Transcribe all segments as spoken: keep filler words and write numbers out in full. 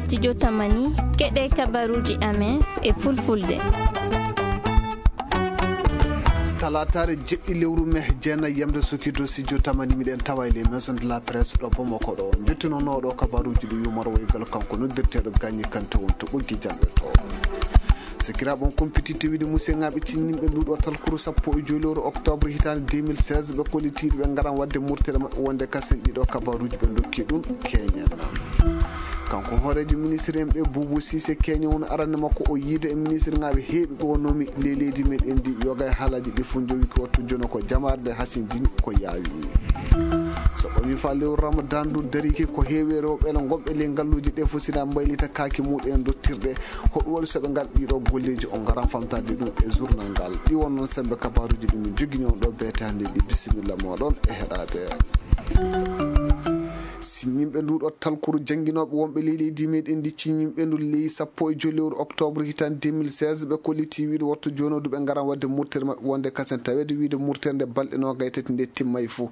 Studio Tamani, keɗe kabaruuji amen e fulfulde. Talaataare jeɗɗi lewru me jeenayi yamde sukido studio Tamani, miɗen tawa e les maisons de la presse ɗo Bamako ɗo. Njettunooɗo kabaruuji ɗi yumorwoygal kanko noddirteeɗo Gagny Kanté won to ɓoggi jannde to. Sakiraaɓe, on kumpititte wiide musiyŋaaɓe cinninɓe nduɗo talkuru sappo e joyi lewru octobre hitaande deux mille seize, ɓe kollitiiɗo ɓe ngaran waɗde murtere maɓɓe wonde kasen ɗiɗo kabaruuji ɓe ndokki ɗum keñen. Kanko hooreejo ministre en ɓe Boubou Cissé Keñe won arande makko o yiide e ministre ŋaaɓe heeɓe ɓe wonnomi ley leydi meɗen ndi yoga e haalaaji ɗi fof jowi ko wattu jono ko jamaare nde hasindini ko yaawi. So ɓami fa lewru Ramadan ndu dariki ko heewi e rewɓe ene gonɓe ley ngalluuji ɗe fof sina mbaylita kaaki muɗum en dottirɗe. Hoɗum waɗi so ɓe ngar ɗiɗo golleeji o ngaran famtade ɗum e journal ngal. Ɗi won noon sembe kabaruuji ɗum min jogini on ɗo beetaande ɗi. Bisimilla moɗon e heɗaade. Sinninɓe nduɗo talkuru jannginooɓe wonɓe ley leydi meɗen ndi cinninɓe ndu ley sappo e joyi lewru octobre hitaande deux mille seize, ɓe kolliti wiide wattu jooni o du ɓe ngaran waɗde murtere maɓɓe wonde kasen taweede wiide murtere nde balɗe noogay tati nde timmay fof.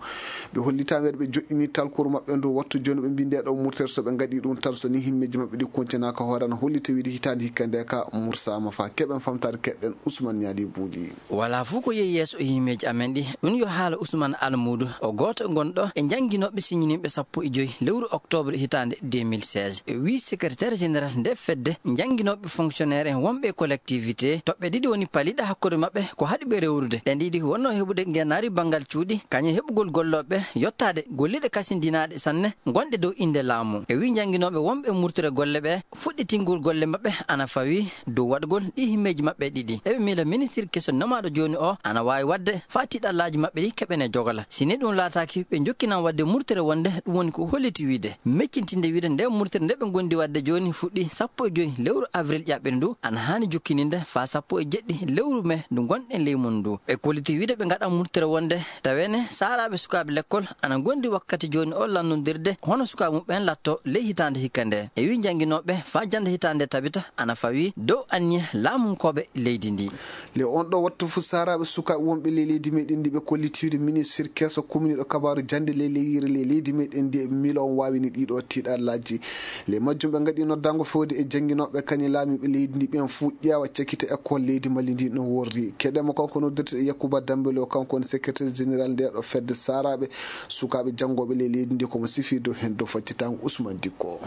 Ɓe hollitaama ɓe joɗɗini talkuru maɓɓe ndu wattu jooni ɓe mbi nde ɗo murtere so ɓe ngaɗi ɗum tan so ni himmeeji maɓɓe ɗi kontinaaka hoore ana hollita wiide hitaande hikka nde ka mursaama fa keɓen famtaade keɗɗen Ousmane Ñaali Buuli. Wala fof ko yehi yeeso e himmeeji amen ɗi. Ɗum yo haala Ousmane Almuudu, o gooto gonɗo e jannginooɓe siñininɓe sappo e joyi lewru octobre hitaande deux mille seize. Wi secrétaire général nde fedde jannginooɓe fonctionnaire en wonɓe e collectivité, toɓɓe ɗiɗi woni paliɗe hakkunde maɓɓe ko haɗi ɓe rewrude. Ɗen ɗiɗi wonno heɓude ngenaari banngal cuuɗi, kañum heɓugol gollooɓe yottaade golliɗe kasindinaaɗe sanne gonɗe dow innde laamu. E wi jannginooɓe wonɓe murtire golle ɓe, fuɗɗitingol golle maɓɓe ana fawi dow waɗgol ɗi himmeeji maɓɓe ɗiɗi. Eɓe miila ministre keso nomaaɗo jooni o ana waawi waɗde faa tiiɗallaaji maɓɓe ɗi keɓene jogala. Si ni ɗum laataaki, ɓe njokkinan waɗde murtere wonde ɗum woni ko holliti wiide, meccintinde wiide nde murtere nde ɓe ngondi waɗde jooni fuɗɗi sappo e joyi lewru avril ƴaɓɓiri ndu, ana haani jokkininde faa sappo e jeɗɗi lewru me ndu ngonɗen ley mun ndu. Ɓe kolliti wiide ɓe ngaɗan murtere wonde taweene saaraaɓe sukaaɓe lekkol ana ngondi wakkati jooni o lannondirde hono sukaaɓe muɓɓen latto ley hitaande hikka nde. E wi jannginooɓe faa jannde hitaande tabita ana fawi dow anniya laamunkooɓe leydi ndi. Le on ɗo wattu fu saaraaɓe sukaaɓe wonɓe ley leydi meɗen ndi ɓe kollitiiɗo ministre keso kumniiɗo kabaaru jannde ley leyire ley leydi meɗen ndi e miila on waawini ɗiɗo tiiɗallaaji. Le majjum ɓe ngaɗi noddango fewde e jannginooɓe kañe laamiiɓe leydi ndi ɓen fuu ƴeewa cakkita école leydi Mali ndi no worri. Keɗema kanko noddirte Yakuba Dambelo, kanko woni secrétaire général nde ɗo fedde saaraaɓe sukaaɓe janngooɓe ley leydi ndi, komo sifi dow heen dow faccitango Ousmane Dikko.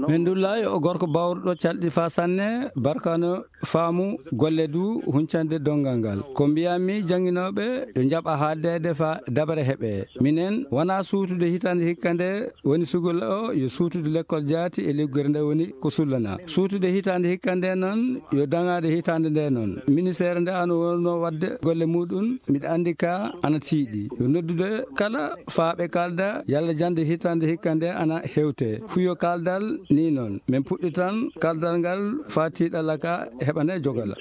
Min ndullayi o gorko bawruɗo calɗi faa sanne, barkano faamu golle du huncande donngal ngal. Ko mbiyammi jannginooɓe yo njaɓa haaldeede faa dabare heɓe. Minen wonaa suutude hitaande hikka nde woni sugol o yo suutude lekkol jaati e liggere nde woni ko sullana. Suutude hitaande hikka nde noon yo daŋaade hitaande nde noon. Ministeere nde ano wonno waɗde golle muɗum, miɗa anndi ka ana tiiɗi. Yo noddude kala faa ɓe kaalda yalla jannde hitaande hikka nde ana hewte. Fuyo kaaldal ni noon. Min puɗɗitan kaaldal ngal faa tiiɗalla ka heɓane jogala.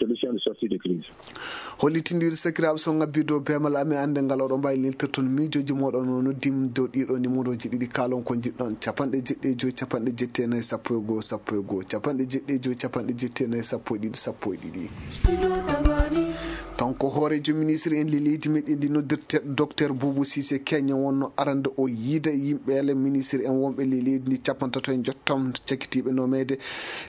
Hollitindiiɗo sakiraaɓe so ngabbii dow beemal amen annde ngal oɗo mbaawi neltirton miijooji mooɗon o noddim dow ɗiɗo numéroji ɗiɗi kaalon ko njiɗɗon capanɗe jeɗɗi e joyi capanɗe jetti e nayi sappo e goo sappo e goo capanɗe jeɗɗi e joyi capanɗe jetti e nayi sappo e ɗiɗi sappo e ɗiɗi. Kanko hooreejo ministre en ley leydi meɗen ndi noddirteeɗo docteur Boubou Cissé Keñe wonno arande o yiida yimɓeele ministre en wonɓe ley leydi ndi capantato e njottam cakitiiɓe nomeede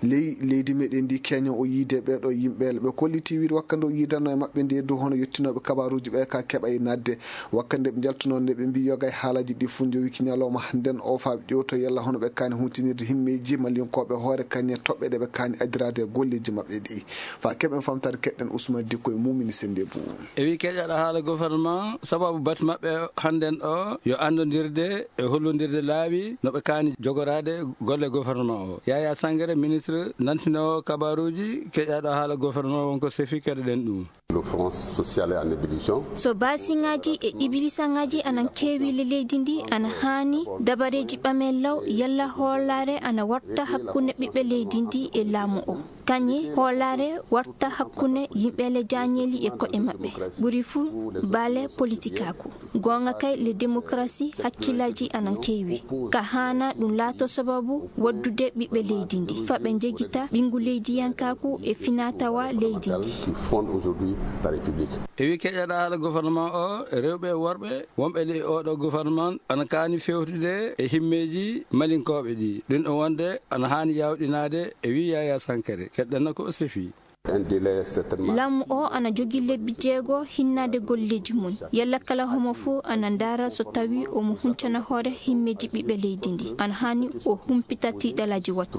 ley leydi meɗen ndi Keñe o yiide ɓeeɗo yimɓeele ɓe kolliti wiide wakkande o yiidanno e maɓɓe nde dow hono yettinooɓe kabaruuji ɓe ka keɓa e naatde wakkande ɓe njaltunoo nde ɓe mbi yoga e haalaaji ɗi fof njowiki ñalawma hannden o faa ɓe ƴewto yalla hono ɓe kaani huntinirde himmeeji mallinkooɓe hoore kañe toɓɓe ɗe ɓe kaani addiraade e golleeji maɓɓe ɗi. Faa keɓen famtaade keɗɗen Ousmane Dikko e Mumini Sennde Bou. E wi keƴaɗo haala gouvernement, sababu batu maɓɓe hannden o yo anndondirde e hollondirde laawi no ɓe kaani jogoraade golle gouvernement o. Yaya Sangare, ministre nantinoowo kabaruuji, keƴaɗo haala gouvernement wonko sefi, keɗoɗen ɗum. L'offrance sociale est en ébullition. So baasiŋaaji e ibilisaŋaaji ana keewi le leydi ndi, ana haani dabareeji ɓamee law yalla hoolaare ana warta hakkunde ɓiɓɓe leydi ndi e laamu o. Kañe hoolaare warta hakkunde yimɓe le jaañeeli e koɗe maɓɓe. Ɓuri fuu baale politikaaku. Goonga kay, le démocratie hakkillaaji ana keewi. Ka haana ɗum laato sababu waddude ɓiɓɓe leydi ndi. Faa ɓe njegita ɓinngu leydiyankaaku e finaa-tawaa leydi ndi. la République. E wi keƴaɗa haala gouvernement o, rewɓe e worɓe wonɓe ley oɗo gouvernement ana kaani fewtude e himmeeji malinkooɓe ɗi. Ɗum ɗo wonde ana haani yawɗinaade e wi Yaya Sankare. Keɗɗen ko o sifi. Laamu o ana jogi lebbi jeego hinnaade golleeji mum. Yalla kala homo fuu ana ndaara so tawi omo huncana hoore himmeeji ɓiɓɓe leydi ndi. Ana haani o humpita tiiɗalaaji wattu.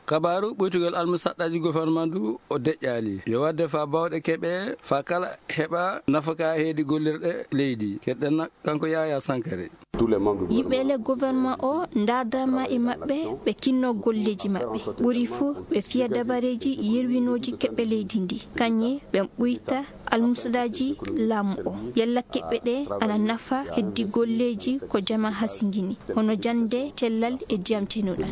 Kabaaru ɓuytugol almusaɗɗaaji gouvernement ndu o deƴƴaali. Yo waɗde faa baawɗe keɓe, faa kala heɓa nafaka heedi gollirɗe leydi. Keɗɗen kanko Yaya Sankare. Yimɓe le gouvernement o ndaardaama e maɓɓe, ɓe kinnoo golleeji maɓɓe. Ɓuri fuu ɓe fiya dabareeji yerwinooji keɓe leydi ndi. Kañe ɓe ɓuyta almusaɗɗaaji laamu o. Yalla keɓe ɗe ana nafa heddi golleeji ko jama hasingini, hono jannde, cellal e diyam cenuɗam.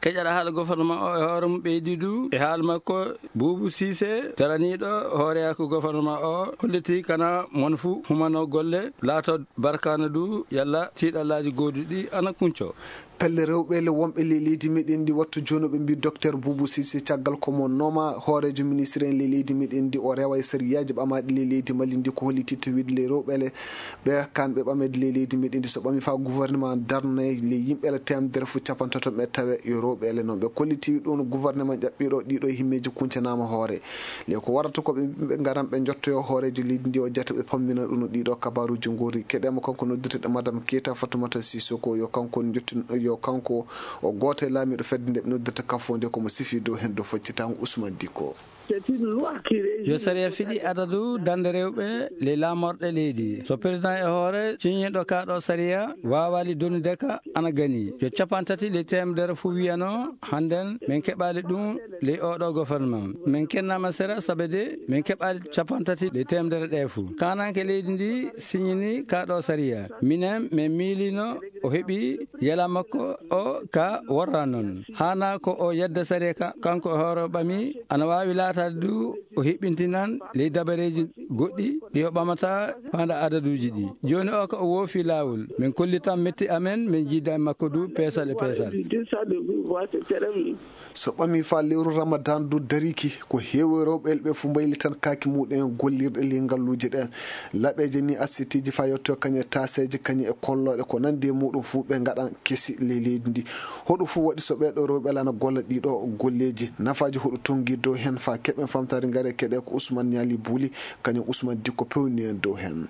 Keƴaɗa haala gouvernement o e hoore mum ɓeydi du e haala makko Buubu Siise, daraniiɗo hooreyaaku gouvernement o, holliti kana mon fuu humanoo golle, laato barkaana du yalla tiiɗalaaji gooduɗi ana kunco. Pelle rewɓe le wonɓe ley leydi meɗen ndi wattu jooni ɓe mbi docteur Buubu Siise caggal ko mo nooma hooreejo ministre en ley leydi meɗen ndi o rewa e sariyaaji ɓamaaɗi ley leydi Mali ndi ko holliti to wiide ley rewɓe le ɓe kan ɓe ɓameede ley leydi meɗen ndi so ɓami faa gouvernement darne ley yimɓe le temedere fuu capantato ɓe tawe yo rewɓe le noon ɓe kolliti ɗum gouvernement ƴaɓɓiɗo ɗiɗo himmeeji kuncanaama hoore le ko warata ko ɓe yimɓe ngaran ɓe njottoyo hooreejo leydi ndi o jata ɓe pammina ɗum ɗiɗo kabaruuji ngoori keɗema kanko noddirteɗo madame Keita Fatoumata Sissoko yo kanko jottin yo kanko o gooto e laamiiɗo fedde nde ɓe noddirta kafo nde komo sifi dow heen dow faccitango Ousmane Dicko. Yo sariya fiɗi adadu dande rewɓe ley laamorɗe leydi. So président e hoore ciñiiɗo kaa ɗo sariya waawaali donude ka ana gani. Yo capantati ley temedere fuu wiyano hannden min keɓaali ɗum ley oɗo gouvernement. Min kennaama sera sabe de min keɓaali capantati ley temedere ɗe fuu. Kaananke leydi ndi siñini kaa ɗo sariya. Minen min miilino o heɓi yela makko o ka worra noon. Haana ko o yedda sariya ka kanko e hoore o ɓami ana waawi laataade du o hiɓɓintinan ley dabareeji goɗɗi ɗi o ɓamata faanda adaduuji ɗi. Jooni o ka o woofi laawol. Min kollitan metti amen min jiida e makko du peesal e peesal. So ɓami faa lewru Ramadan du dariki ko heewi rewɓe elɓe fuu mbaylitan kaaki muɗum en gollirɗe ley ngalluuje ɗen. Laɓeeje ni asitiiji faa yetto kañe taaseeje kañe e kollooɗe ko nanndi e muɗum fuu ɓe ngaɗan kesi ley leydi ndi. Hoɗum fuu waɗi so ɓeeɗo rewɓe lana golla ɗiɗo golleeji nafaaji hoɗum tonngi dow heen faa keɓen famtaade ngare keɗe ko Ousmane Ñaali Buuli kañum Ousmane Dikko pewni en dow heen.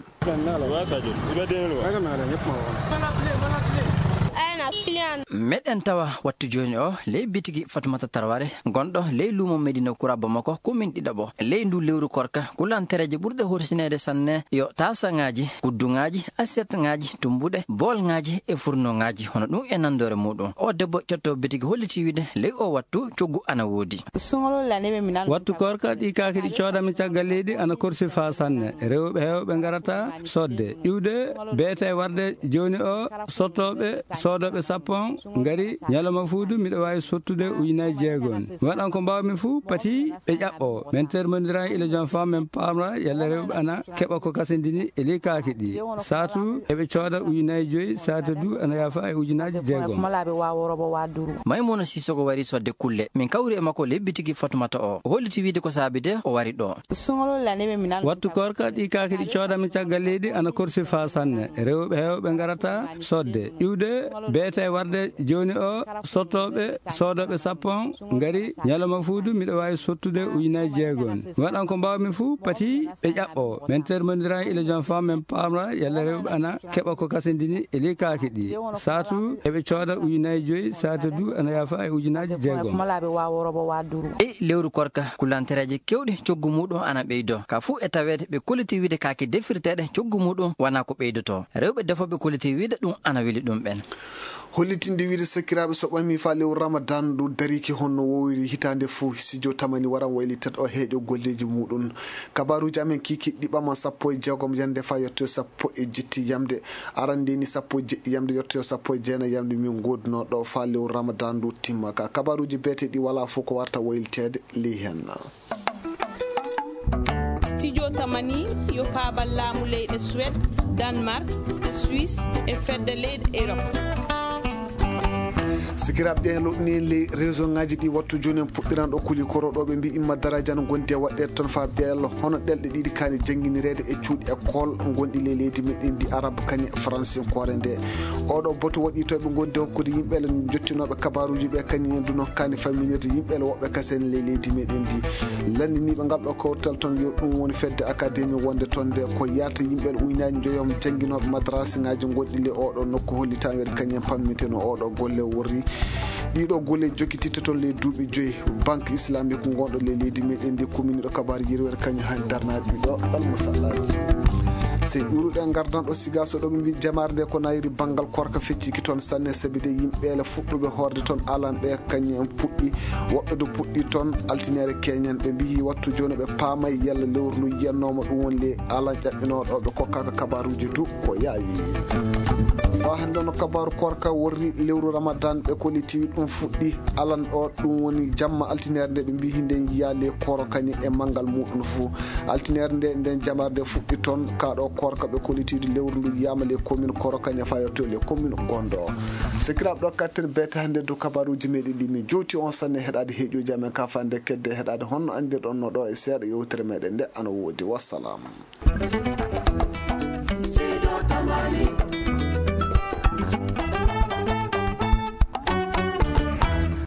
Meɗen tawa wattu jooni o ley bitigi Fatumata Tarware gonɗo ley luumo Medina Kura Bamako ko min ɗiɗaɓo ley ndu lewru korka kulantereeje ɓurɗe horsineede sanne yo taasaŋaaji kudduŋaaji asiyetŋaaji tumbuɗe boolŋaaji e furnoŋaaji hono ɗum e nandoore muɗum o debbo cotto bitigi holliti wiide ley o wattu coggu ana woodi. Wattu koorka ɗi kaaki ɗi coodami caggal leydi ana korsi faa sanne. Rewɓe heewɓe ngarata sodde iwde beete warde jooni o sottooɓe soodooɓe sappo on ngari ñalawma fuudu miɗo waawi sottude ujunaaji jeegom. Mi waɗan ko mbaawmi fuu pati ɓe ƴaɓɓo. Min termondiran ila jom fam min paamra yalla rewɓe ana keɓa ko kasindini e ley kaaki ɗi. Saatu eɓe cooda ujunaaji joyi saatu du ana yaafa e ujunaaji jeegom. Maymuna Sisoko wari sodde kulle min kawri e makko lebbi tigi Fatumata o o holliti wiide ko saabi de o wari ɗo. Wattu koorka ɗi kaaki ɗi coodami caggal leydi ana korsi faa sanne. Rewɓe heewɓe ngarata sodde iwde beete warde jooni o sottooɓe soodooɓe sappo on ngari ñalawma fuudu miɗo waawi sottude ujunaaji jeegom. Mi waɗan ko mbaawmi fuu pati ɓe ƴaɓɓo. Min termondiran ila jom fam min paamra yalla rewɓe ana keɓa ko kasindini e ley kaaki ɗi. Saatu eɓe cooda ujunaaji joyi saatu du ana yaafa e ujunaaji jeegom. E lewru korka kulantereeje kewɗe coggu muɗum ana ɓeydo ka fuu e taweede ɓe kolliti wiide kaaki defirteeɗe coggu muɗum wona ko ɓeydoto. Rewɓe defooɓe kolliti wiide ɗum ana weli ɗum ɓen. Hollitinde wiide sakiraaɓe so ɓami faa lewru Ramadan ndu dariki honno wowiri hitaande fuu studio tamani waran waylitat o heeƴo golleeji muɗum. Kabaruuji amen kiikiiɗi ɓaman sappo e jeegom yamde faa yettoyo sappo e jetti yamde. Arande ni sappo e jeɗɗi yamde yettoyo sappo e jeenayi yamde min ngoodunoo ɗo faa lewru Ramadan ndu timma ka kabaruuji beeteɗi walaa fof ko warta wayliteede ley heen. Studio tamani yo paabal laamu leyɗe Suède, Danemark, Suisse e fedde leyɗe Europe. Sikiraaɓe, ɗen loɗɗini ley réseau ŋaaji ɗi wattu jooni en puɗɗiran ɗo kuli koro ɗo ɓe mbi imma darajan gondi e waɗɗeede toon faa beelo hono ɗelɗe ɗiɗi kaani jannginireede e cuuɗi école gonɗi ley leydi meɗen ndi, arabe kañe fransinkoore nde. Oɗo boto waɗi to ɓe gondi hokkude yimɓe le jottinooɓe kabaruuji ɓe kañi en duno kaani famminirde yimɓe le woɓɓe kasen ley leydi meɗen ndi. Lanndiniiɓe ngal ɗo kawtal toon yo ɗum woni fedde akademi wonde toon nde ko yaata yimɓe le uynaaji njoyom jannginooɓe madrasa ŋaaji gonɗi le oɗo nokku holli tan weɗe kañen pammiteno oɗo golle worri. Ɗiɗo golle jokkititta toon ley duuɓi joyi. Banque islamique gonɗo ley leydi meɗen ndi kuminiɗo kabaru yirwere kañum han darnaɗo ɗiɗo almusallaaji. Sey iwruɗen ngardan ɗo siga so ɗo ɓe mbi jamaare nde ko nayiri banngal korka fecciki toon sanne sabi de yimɓe le fuɗɗuɓe horde toon alan ɓe kañum en puɗɗi. Woɓɓe du puɗɗi toon altiniere keñen ɓe mbiyi wattu jooni ɓe paamay yalla lewru ndu yiyannooma ɗum woni le alan ƴaɓɓinooɗo ɓe kokkaka kabaruuji du ko yaawi. Faa hannde no kabaru korka worri lewru ramadan ɓe kollitiwi ɗum fuɗɗi alan ɗo ɗum woni jamma altiniere nde ɓe mbiyi hinden yiya le koro kañum e manngal muɗum fuu. Altiniere nde nden jamaare nde fuɗɗi toon kaɗo korka ɓe kollitiwi lewru ndu yiyama le commune koro kañum faa yetto le commune gondo. Sikiraaɓe, ɗo katten beete hannde du kabaruuji meɗen ɗi min jowti on sanne heɗaade heeƴuji amen ka fande kedde heɗaade honno anndirɗon no ɗo e seeɗa yewtere meɗen nde ana woodi. Wassalam.